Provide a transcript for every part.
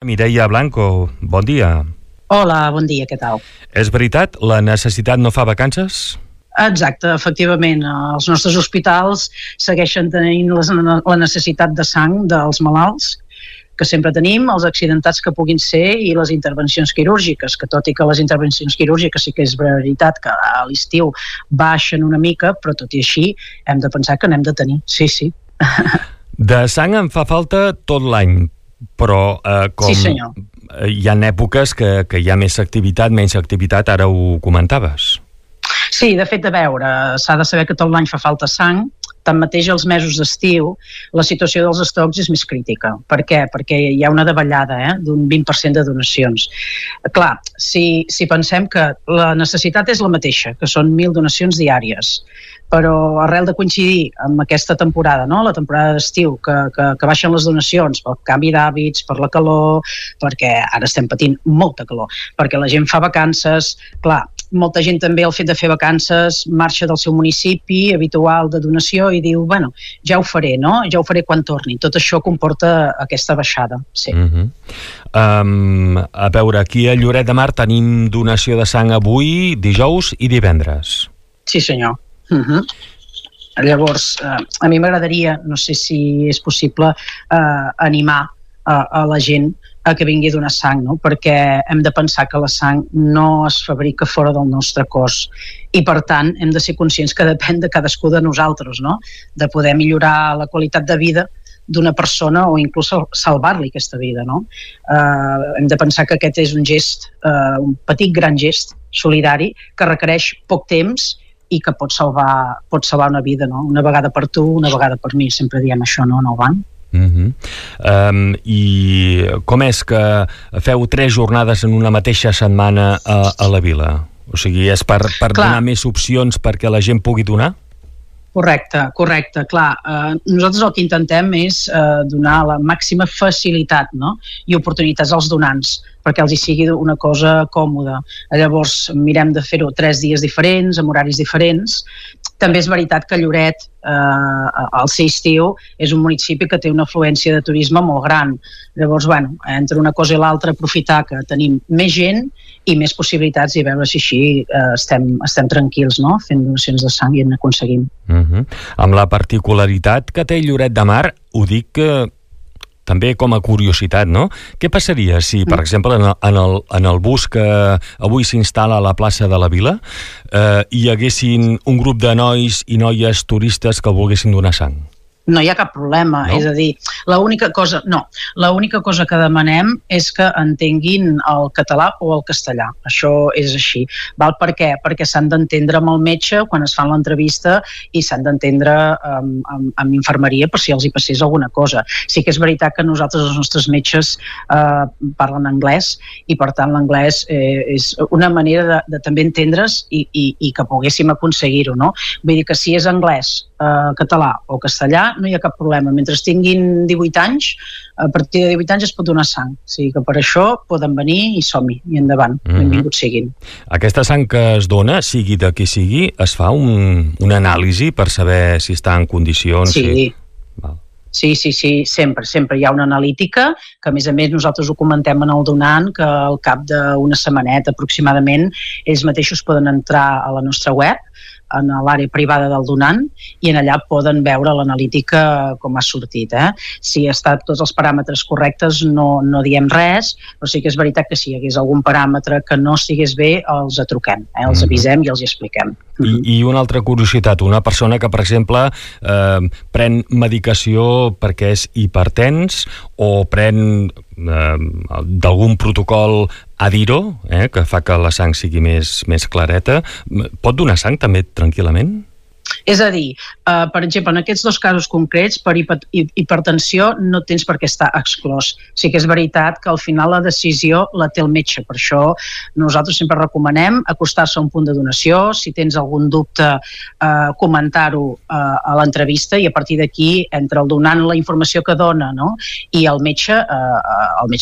Mireia Blanco, bon dia. Hola, bon dia, què tal? És veritat, la necessitat no fa vacances? Exacte, efectivament, els nostres hospitals segueixen tenint la necessitat de sang dels malalts, que sempre tenim, els accidentats que puguin ser i les intervencions quirúrgiques, que tot i que les intervencions quirúrgiques sí que és veritat que a l'estiu baixen una mica, però tot i així hem de pensar que n'hem de tenir, sí. De sang en fa falta tot l'any, però com sí, senyor. Hi ha èpoques que hi ha més activitat, menys activitat, ara ho comentaves. Sí, de fet, a veure, s'ha de saber que tot l'any fa falta sang. Tanmateix, als mesos d'estiu, la situació dels estocs és més crítica. Per què? Perquè hi ha una davallada d'un 20% de donacions. Clar, si pensem que la necessitat és la mateixa, que són 1.000 donacions diàries, però arrel de coincidir amb aquesta temporada, no? La temporada d'estiu, que baixen les donacions pel canvi d'hàbits, per la calor, perquè ara estem patint molta calor, perquè la gent fa vacances, clar, molta gent també al fet de fer vacances marxa del seu municipi habitual de donació i diu, bueno, ja ho faré, no? Ja ho faré quan torni. Tot això comporta aquesta baixada, sí. A veure, aquí a Lloret de Mar tenim donació de sang avui, dijous i divendres. Sí, senyor. Llavors, a mi m'agradaria, no sé si és possible, animar a la gent a que vingui a donar sang, no? Perquè hem de pensar que la sang no es fabrica fora del nostre cos i, per tant, hem de ser conscients que depèn de cadascú de nosaltres, no? De poder millorar la qualitat de vida d'una persona o inclús salvar-li aquesta vida, no? Hem de pensar que aquest és un gest, un petit gran gest solidari que requereix poc temps i que pot salvar una vida, no? Una vegada per tu, una vegada per mi, sempre diem això, no, en el banc. I com és que feu 3 jornades en una mateixa setmana a la vila? O sigui, és per donar més opcions perquè la gent pugui donar? Correcte, clar. Nosaltres el que intentem és donar la màxima facilitat, no? I oportunitats als donants, perquè els hi sigui una cosa còmoda. Llavors mirem de fer-ho 3 dies diferents, amb horaris diferents. També és veritat que Lloret, al ser estiu, és un municipi que té una afluència de turisme molt gran. Llavors, bueno, entre una cosa i l'altra, aprofitar que tenim més gent i més possibilitats i veure si així estem tranquils, no? Fent donacions de sang i en aconseguim. Amb la particularitat que té Lloret de Mar, ho dic també com a curiositat, no? Què passaria si, per exemple, en el bus que avui s'instal·la a la plaça de la Vila hi haguessin un grup de nois i noies turistes que volguessin donar sang? No hi ha cap problema, no? És a dir, l'única cosa que demanem és que entenguin el català o el castellà. Això és així. Val? Per què? Perquè s'han d'entendre amb el metge quan es fan l'entrevista i s'han d'entendre amb infermeria per si els hi passés alguna cosa. Sí que és veritat que nosaltres, els nostres metges, parlen anglès i, per tant, l'anglès és una manera de també entendre's i que poguéssim aconseguir-ho, no? Vull dir que si és anglès, català o castellà, no hi ha cap problema. Mentre tinguin 18 anys, a partir de 18 anys es pot donar sang. O sigui que per això poden venir i som-hi, i endavant. Benvinguts siguin. Aquesta sang que es dona, sigui de qui sigui, es fa una anàlisi per saber si està en condicions? Sí. Sí, sempre hi ha una analítica, que a més nosaltres ho comentem en el donant, que al cap d'una setmaneta aproximadament ells mateixos poden entrar a la nostra web, en l'àrea privada del donant, i en allà poden veure l'analítica com ha sortit. Si estan tots els paràmetres correctes no diem res, però sí que és veritat que si hi hagués algun paràmetre que no estigués bé, els truquem, els avisem i els hi expliquem. I una altra curiositat, una persona que, per exemple, pren medicació perquè és hipertens o pren d'algun protocol Adiro, que fa que la sang sigui més clareta, pot donar sang també tranquil·lament? És a dir, per exemple, en aquests dos casos concrets, per hipertensió no tens per què estar exclòs. Sí que és veritat que al final la decisió la té el metge. Per això nosaltres sempre recomanem acostar-se a un punt de donació, si tens algun dubte, comentar-ho a l'entrevista, i a partir d'aquí, entre el donant la informació que dona, no? I el metge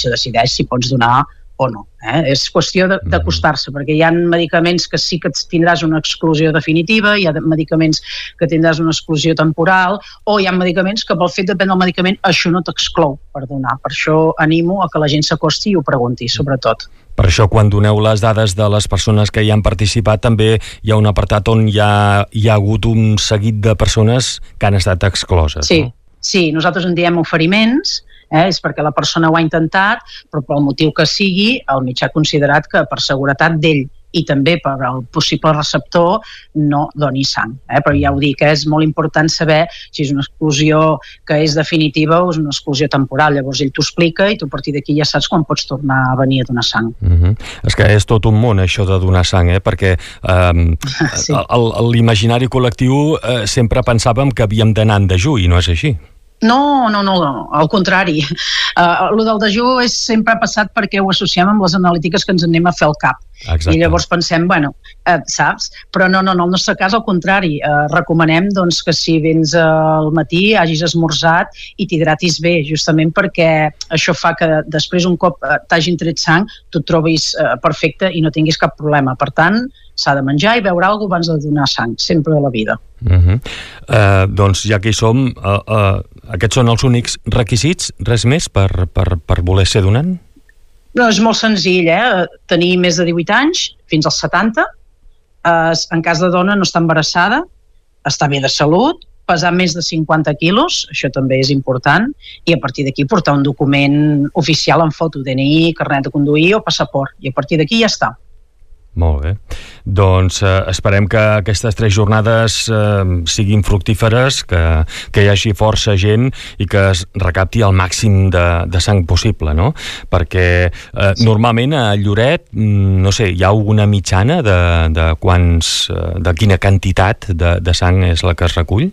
decideix si pots donar o no. És qüestió d'acostar-se, perquè hi ha medicaments que sí que tindràs una exclusió definitiva, hi ha medicaments que tindràs una exclusió temporal, o hi ha medicaments que pel fet de prendre el medicament això no t'exclou per donar. Per això animo a que la gent s'acosti i ho pregunti, sobretot. Per això, quan doneu les dades de les persones que hi han participat, també hi ha un apartat on hi ha hagut un seguit de persones que han estat excloses. Sí, no? Sí, nosaltres en diem oferiments, és perquè la persona ho ha intentat, però pel motiu que sigui, el metge ha considerat que per seguretat d'ell i també per al possible receptor no doni sang. Però ja ho dic, és molt important saber si és una exclusió que és definitiva o és una exclusió temporal. Llavors ell t'ho explica i tu a partir d'aquí ja saps quan pots tornar a venir a donar sang. És que és tot un món això de donar sang, perquè sí. L'imaginari col·lectiu sempre pensàvem que havíem d'anar en dejú i no és així. No, al contrari. Lo del dejú sempre ha passat perquè ho associem amb les analítiques que ens anem a fer al cap. Exacte. I llavors pensem, saps? Però no, en el nostre cas al contrari. Recomanem doncs, que si vens al matí hagis esmorzat i t'hidratis bé, justament perquè això fa que després un cop t'hagin tret sang tu et trobis perfecte i no tinguis cap problema. Per tant, s'ha de menjar i beure alguna cosa abans de donar sang, sempre de la vida. Doncs ja que hi som, aquests són els únics requisits, res més per voler ser donant? No, és molt senzill, tenir més de 18 anys, fins als 70, en cas de dona no estar embarassada, estar bé de salut, pesar més de 50 quilos, això també és important, i a partir d'aquí portar un document oficial en foto, DNI, carnet de conduir o passaport, i a partir d'aquí ja està. Molt bé. Doncs esperem que aquestes 3 jornades siguin fructíferes, que hi hagi força gent i que es recapti el màxim de sang possible, no? Perquè normalment a Lloret, no sé, hi ha alguna mitjana de quina quantitat de sang és la que es recull?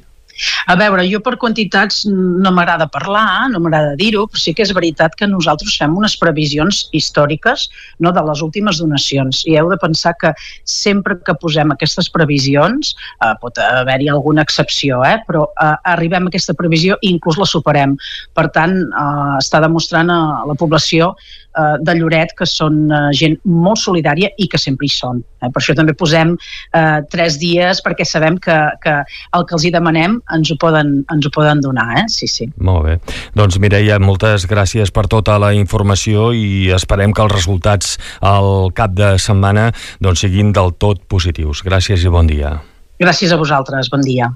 A veure, jo per quantitats no m'agrada parlar, no m'agrada dir-ho, però sí que és veritat que nosaltres fem unes previsions històriques, no, de les últimes donacions, i heu de pensar que sempre que posem aquestes previsions, pot haver-hi alguna excepció, però arribem a aquesta previsió i inclús la superem. Per tant, està demostrant a la població de Lloret que són gent molt solidària i que sempre hi són. Per això també posem 3 dies, perquè sabem que el que els hi demanem ens ho poden donar, Sí. Molt bé. Doncs Mireia, moltes gràcies per tota la informació i esperem que els resultats al cap de setmana doncs, siguin del tot positius. Gràcies i bon dia. Gràcies a vosaltres, bon dia.